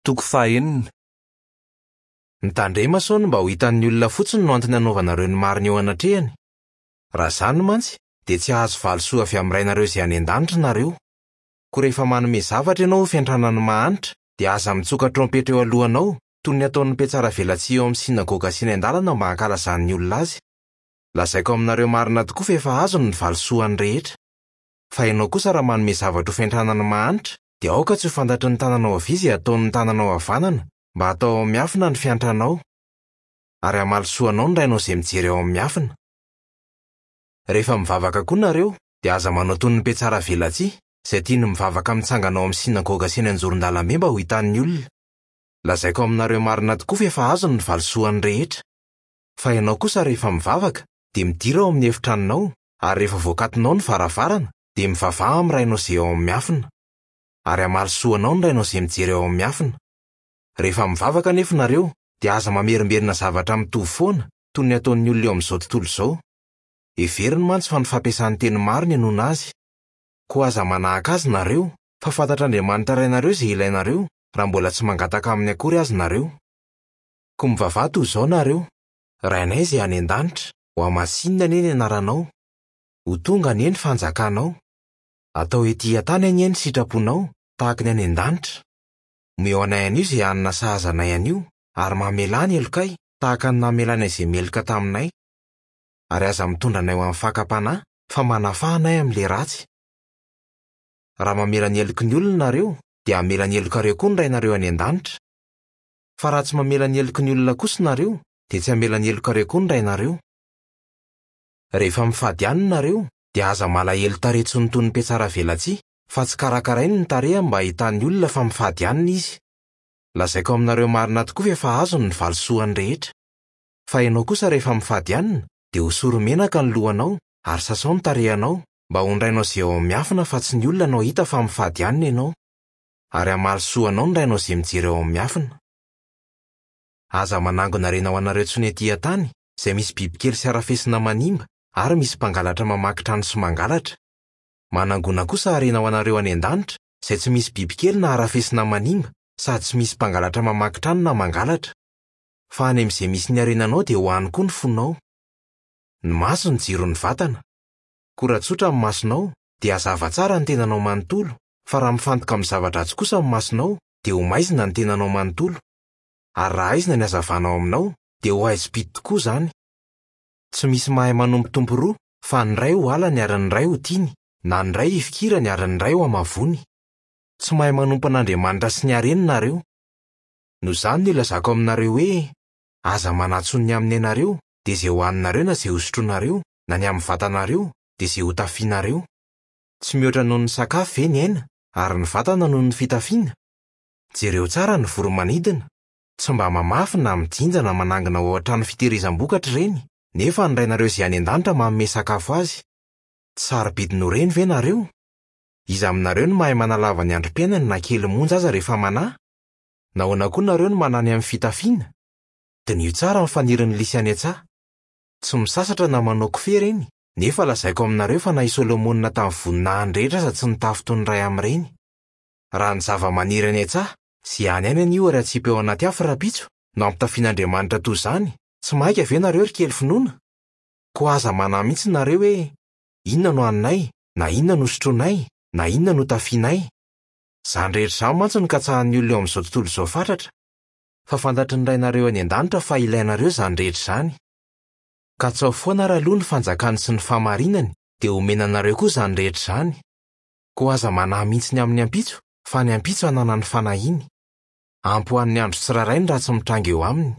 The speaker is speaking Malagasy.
Toko fahenina. Mitandrema sao ny mba ho hitan'ny olona fotsiny no antony anaovanareo ny marina eo anatrehany. Raha izany mantsy, dia tsy hahazo valisoa avy amin'ny Rainareo izay any an-danitra nareo. Koa rehefa manome zavatra ianao ho fiantrana ny mahantra, dia aza mitsoka trompetra eo alohanao, toy ny ataon'ny mpihatsaravelatsihy eo amin'ny synagoga sy eny an-dalana mba hankalazan'ny olona azy. Lazaiko aminareo marina tokoa fa efa azony ny valisoany rehetra. Fa ianao kosa raha manome zavatra ho fiantrana ny mahantra, dia aoka tsy ho fantatry ny tananao havia izay ataon'ny tananao havanana, mba hatao ao amin'ny miafina ny fiantranao. Ary hamaly soa anao ny Rainao izay mijery ao amin'ny miafina. Rehefa mivavaka koa nareo, dia aza manao toy ny mpihatsaravelatsihy, izay tia ny mivavaka mitsangana ao amin'ny synagoga sy eny anjoron-dalambe mba ho hitan'ny olona. Lazaiko aminareo marina tokoa fa efa azony ny valisoany rehetra. Fa ianao kosa rehefa mivavaka, dia midira ao amin'ny efitranonao, ary rehefa voakatonao ny varavarana, dia mivavaha amin'ny Rainao izay ao amin'ny miafina. Ary hamaly soa anao ny Rainao izay mijery ao amin'ny miafina. Rehefa mivavaka anefa nareo, dia aza mamerimberina zavatra mitovy foana, toy ny ataon'ny olona eo amin'izao tontolo izao. Heveriny mantsy fa ny fampiasany teny maro ny henoana azy. Koa aza manahaka azy nareo, fa fantatr'Andriamanitra Rainareo izay ilainareo, raha mbola tsy mangataka aminy akory aza nareo. Koa mivavaha toy izao nareo, Rainay izay any an-danitra, hohamasinina anie ny anaranao. Ho tonga anie ny fanjakanao. Atao ety an-tany anie ny sitraponao, tahaka ny any an-danitra. Omeo anay anio izay hanina sahaza anay anio, ary mamelà ny helokay, tahaka ny namelanay izay meloka taminay. Ary aza mitondra anay ho amin'ny fakam-panahy, fa manafaha anay amin'ilay ratsy. Raha mamela ny heloky ny olona nareo, dia hamela ny helokareo koa ny Rainareo any an-danitra. Fa raha tsy mamela ny heloky ny olona kosa nareo, dia tsy hamela ny helokareo koa ny Rainareo. Rehefa mifady hanina nareo, dia aza malahelo tarehy tsy toy ny mpihatsaravelatsihy, fa tsy karakarainy ny tarehiny mba hahitan'ny olona fa mifady hanina izy. Lazaiko aminareo marina tokoa fa efa azony ny valisoany rehetra. Fa ianao kosa rehefa mifady hanina, dia hosory menaka ny lohanao, ary sasao ny tarehinao, mba ho ny Rainao izay ao amin'ny miafina fa tsy ny olona no hahita fa mifady hanina ianao. Ary hamaly soa anao ny Rainao izay mijery ao amin'ny miafina. Aza manangona harena ho anareo intsony ety an-tany, izay misy bibikely sy harafesina manimba ary misy mpangalatra mamaky trano sy mangalatra. Manangona kosa harena ho anareo any an-danitra, izay tsy misy bibikely na harafesina manimba, sady tsy misy mpangalatra mamaky trano na mangalatra. Fa any amin'izay misy ny harenanao dia ho any koa ny fonao. Ny maso no jiron'ny vatana. Koa raha tsotra ny masonao, dia hazava tsara ny tenanao manontolo, fa raha mifantoka amin'ny zava-dratsy kosa ny masonao, dia ho maizina ny tenanao manontolo. Ary raha haizina ny hazavana ao aminao, dia ho haizim-pito tokoa izany. Tsy misy mahay manompo tompo roa, fa ny iray ho halany ary ny iray ho tiany, na ny iray hifikirany ary ny iray ho hamavoany. Tsy mahay manompo an'Andriamanitra sy ny hareny nareo. Noho izany no ilazako aminareo hoe, Aza manatso ny amin'ny ainareo, dia izay hohaninareo na izay hosotroinareo, na ny amin'ny vatanareo, dia izay hotafianareo. Tsy mihoatra noho ny sakafo ve ny aina, ary ny vatana noho ny fitafiana? Jereo tsara ny voro-manidina. Tsy mba mamafy na mijinja na manangona ao an-trano fitehirizam-bokatra ireny, nefa ny Rainareo izay any an-danitra manome sakafo azy. Tsy sarobidy noho ireny ve nareo? Iza aminareo no mahay manalava ny androm-piainany na kely monja aza rehefa manahy? Nahoana koa nareo no manahy ny amin'ny fitafiana? Diniho tsara ny fanirin'ny lisy any an-tsaha. Tsy misasatra na manao kofehy ireny, nefa lazaiko aminareo fa na i Solomona tamin'ny voninahiny rehetra aza tsy nitafy toy ny iray amin'ireny. Raha ny zavamaniry any an-tsaha, izay any ihany anio ary atsipy ao anaty afo rahampitso, no ampitafian'Andriamanitra toy izany, tsy maika ve nareo ry kely finoana? Koa aza manahy mihitsy nareo hoe, Inona no haninay, na inona no hosotroinay, na inona no hotafianay? Izany rehetra izany mantsy no katsahan'ny olona eo amin'izao tontolo izao fatratra. Fa fantatry ny Rainareo any an-danitra fa ilainareo izany rehetra izany. Katsaho foana ary aloha ny fanjakany sy ny fahamarinany, dia homena anareo koa izany rehetra izany. Koa aza manahy mihitsy ny amin'ny ampitso, fa ny ampitso hanana ny fanahiany. Ampy ho an'ny andro tsirairay ny ratsy mitranga eo aminy.